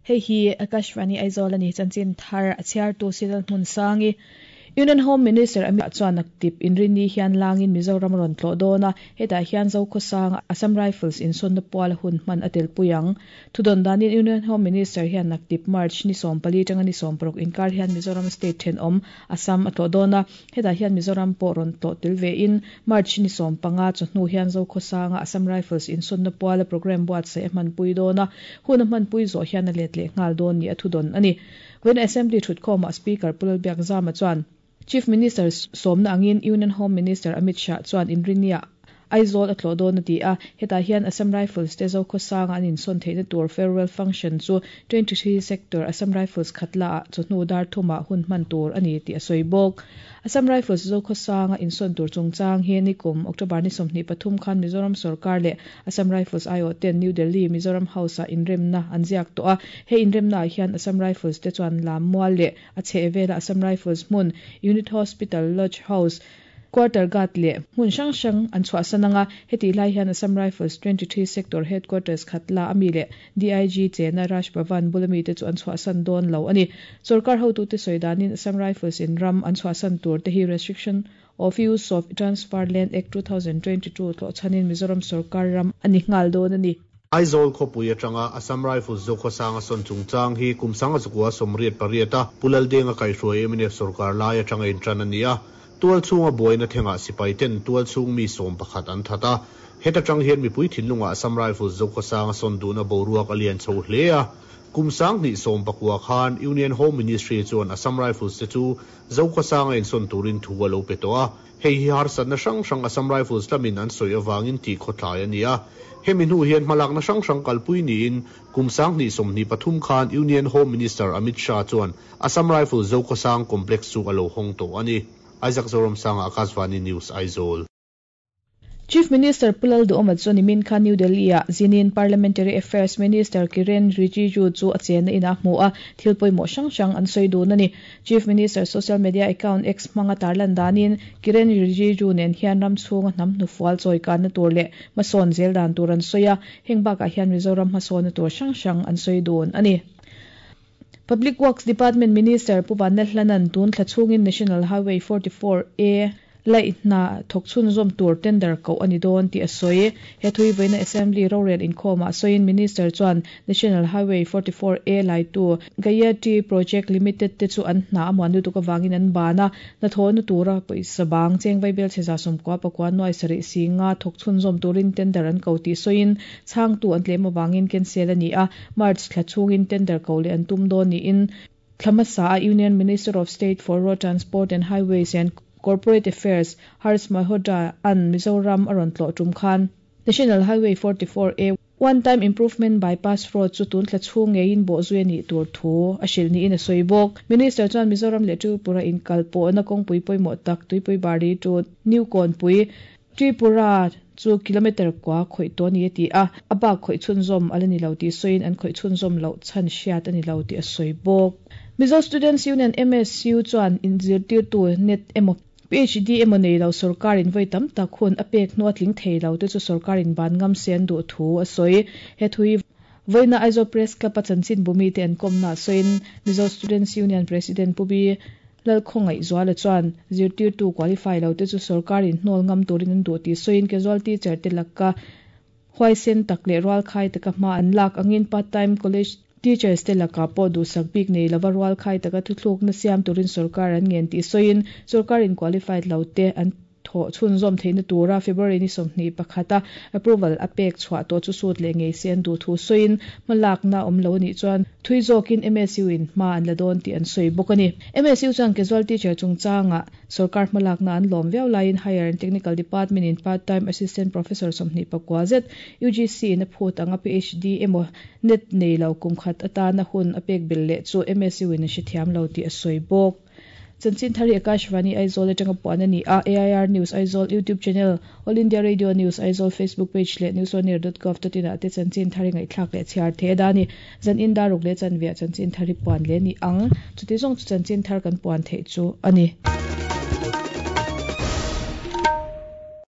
Hei hi Akashvani Aizawl a ni, chanchin thar a chhiartu Sidal Hmunsangi. Union Home Minister Amit Shah chuan naktip inrinni hian langin Mizoram a rawn tlawh dawn a, hetah hian Zokhawsanga Assam Rifles insawnna puala hun hman a telpui ang. Thudawn danin Union Home Minister hian naktip March ni 14 tanga ni 16 inkar hian Mizoram state thenawm Assam a tlawh dawn a, hetah hian Mizoram pawh rawn tlawh tel vein March ni 15 chawhnu hian Zokhawsanga Assam Rifles insawnna puala programme buatsaih a hmanpui dawn a, hun a hmanpui zawh hian a let leh nghal dawn ni a thudawn a ni. Vawiin Assembly thutkhawmah Speaker Pu Lalbiakzama chuan Chief Minister sawmna angin Union Home Minister Amit Shah chuan Inrinniah Aizawl a tlawh dawn a ti a, hetah hian Assam Rifles te Zokhawsanga an insawn theihna tur farewell function chu 23 Sector Assam Rifles Khatla-ah chawhnu dar thumah hun hman tur a ni tih a sawi bawk. Assam Rifles Zokhawsanga insawn tur chungchang hi nikum October ni 23 khan Mizoram sorkar leh Assam Rifles aiawh ten New Delhi Mizoram House-ah inremna an ziak tawh a, he inremnaah hian Assam Rifles te chuan lam mual leh a chhehvela Assam Rifles hmun, Unit Hospital, Lodge House, Quarter Guard leh hmun hrang hrang an chhuahsan ang a, hetih lai hian Assam Rifles 23 Sector Headquarters Khatla ami leh DIG chena Raj Bhavan bula mite chu an chhuahsan dawn lo a ni. Sorkar hotute sawi danin Assam Rifles in ram an chhuahsan tur te hi Restriction of Use of Transfer Land Act 2022 tlawh chhanin Mizoram sorkar ram a ni nghal dawn a ni. Aizawl khawpui atanga Assam Rifles Zokhawsanga sawn chungchang hi kum sanga zakua 88 a Pu Laldenga kaihhruai mnf sorkar lai atanga intan a ni a. Tual chhunga buaina thengah sipai ten tual chhung mi 11 an that a. Heta tang hian mipui thinlungah Assam Rifles Zokhawsanga sawn duhna boruak a lian chho hle a. Kum 2019 khan Union Home Ministry chuan Assam Rifles te chu Zokhawsanga insawn turin thu a lo pe tawh a. Hei hi harsatna hrang hrang Assam Rifles lamin an sawi avangin tih khawtlai a ni a. Hemi hnu hian hmalakna hrang hrang kalpui niin kum 2023 khan Union Home Minister Amit Shah chuan Assam Rifles Zokhawsang Complex chu a lo hawng tawh a ni. Isaac Zoramsanga, Akashvani News, Aizawl. Chief Minister Pu Lalduhoma chu nimin khan New Delhi-ah zinin Parliamentary Affairs Minister Kiren Rijiju chu a chenna inah a hmu a, thil pawimawh hrang hrang an sawi dun a ni. Chief Minister social media account X hmanga tarlan danin Kiren Rijiju nen hian ram chhunga hnam hnufual chawikanna tur leh hmasawn zel dan tur an sawi a, heng bakah hian Mizoram hmasawnna tur hrang hrang an sawi dun a ni. Public Works Department Minister Pu Vanlalhlanan tun thla chhungin National Highway 44 A laih hna thawk chhunzawm tur tender koh a ni dawn tih a sawi. He thui vawiina Assembly rorel inkhawmah sawiin Minister chuan National Highway 44 A laitu Gayatri Project Limited te chu an hna a muan lutuk avangin an ban a, hnathawhna tura pawisa bang cheng vaibel chhe 99 nuai sarih si nga thawk chhunzawm turin tender an ko tih sawiin chhangtu an tlem avangin cancel a ni a, March thla chhungin tender ko leh an tum dawn niin thla hmasa a Union Minister of State for Road Transport and Highways and Corporate Affairs Harsh Malhotra an Mizoram a rawn tlawh tum khan National Highway 44 A One Time Improvement Bypass Road chu tun thla chhung ngeiin bawhzui a nih tur thu a hrilh niin a sawi bawk. Minister chuan Mizoram leh Tripura inkal pawhna kawngpui pawimawh tak Tuipui Bari to New Kawnpui Tripura chu kilometre kua khawih tawh a ni a ti a, a bak khawih chhunzawm a la ni lo tih sawiin an khawih chhunzawm loh chhan hriat a ni lo tih a sawi bawk. Mizo Students Union, MSU, chuan inzirtirtu net emaw PhD emaw nei lo sorkarin vawi tam tak hun a pek hnu a tling thei lo te chu sorkarin ban ngam se an duh thu a sawi. He thu hi vawiina Aizawl Press Club a chanchinbu mite an kawmnaah sawiin Mizo Students Union President Pu Bi Lalkhawngaihzuala chuan zirtirtu qualify lo te chu sorkarin hnawl ngam turin an duh tih sawiin casual teacher te laka huaisen tak leh rualkhai taka hma an lak angin part time college teachers te lakah pawh duhsak bik nei lova rualkhai taka thuthlukna siam turin sorkar an ngen tih sawiin sorkarin qualified lo te an thawh chhunzawm theihna tura February ni 21 a approval a pek chhuah tawh chu sut leh ngei se an duh thu sawiin hmalakna awm lo anih chuan thui zawkin MSU in hma an la dawn tih an sawi bawk a ni. MSU chuan casual teacher chungchangah sorkar hmalakna an lawm viau laiin Higher and Technical Department in part time assistant professor 29 zet UGC in a phut anga PhD emaw net nei lo kum khat atana hun a pek belh leh chu MSU in a hrethiam lo tih a sawi bawk. Chanchin thar hi Akashvani Aizawl atanga puan a ni a, AIR News Aizawl YouTube channel, All India Radio News Aizawl Facebook page leh newsonair.gov.in ah te chanchin thar hi ngaihthlak leh chhiar thei a da a ni. Zan in daruk leh chanveah chanchin thar hi puan leh a ni ang. Chuti zawng chu chanchin thar kan puan theih chu a ni.